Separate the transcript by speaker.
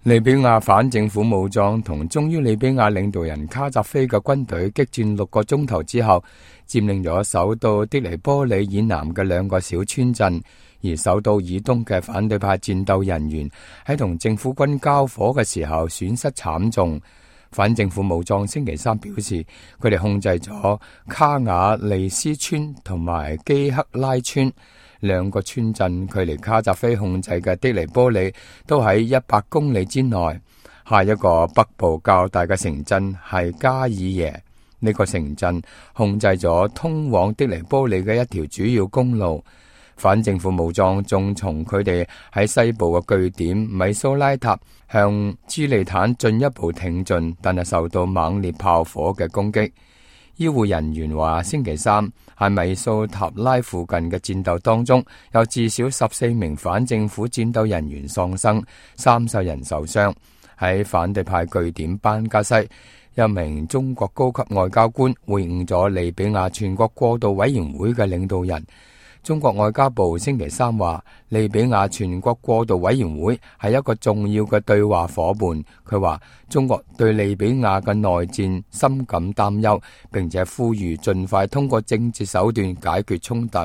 Speaker 1: 利比亞反政府武裝同忠於利比亞領導人卡扎菲嘅軍隊激戰6個鐘頭之後，佔領咗首都的黎波里以南嘅2個小村鎮，而首都以東嘅反對派戰鬥人員喺同政府軍交火嘅時候損失慘重。反政府武裝星期三表示，佢哋控制咗卡瓦利斯村同埋基克拉村2個村鎮，距離卡扎菲控制嘅的黎波里都喺100公里之內。下一個北部較大嘅城鎮係加爾耶，呢個城鎮控制咗通往的黎波里嘅一條主要公路。反政府武裝仲從佢哋喺西部嘅據點米蘇拉塔向朱利坦進一步挺進，但係受到猛烈炮火嘅攻擊。醫護人員話，星期三喺米蘇塔拉附近嘅戰鬥當中，有至少14名反政府戰鬥人員喪生，30人受傷。喺反對派據點班加西，一名中國高級外交官會晤咗利比亞全國過渡委員會嘅領導人。中國外交部星期三話，利比亞全國過渡委員會係一個重要嘅對話夥伴。佢話，中國對利比亞嘅內戰深感擔憂，並且呼籲盡快通過政治手段解決衝突。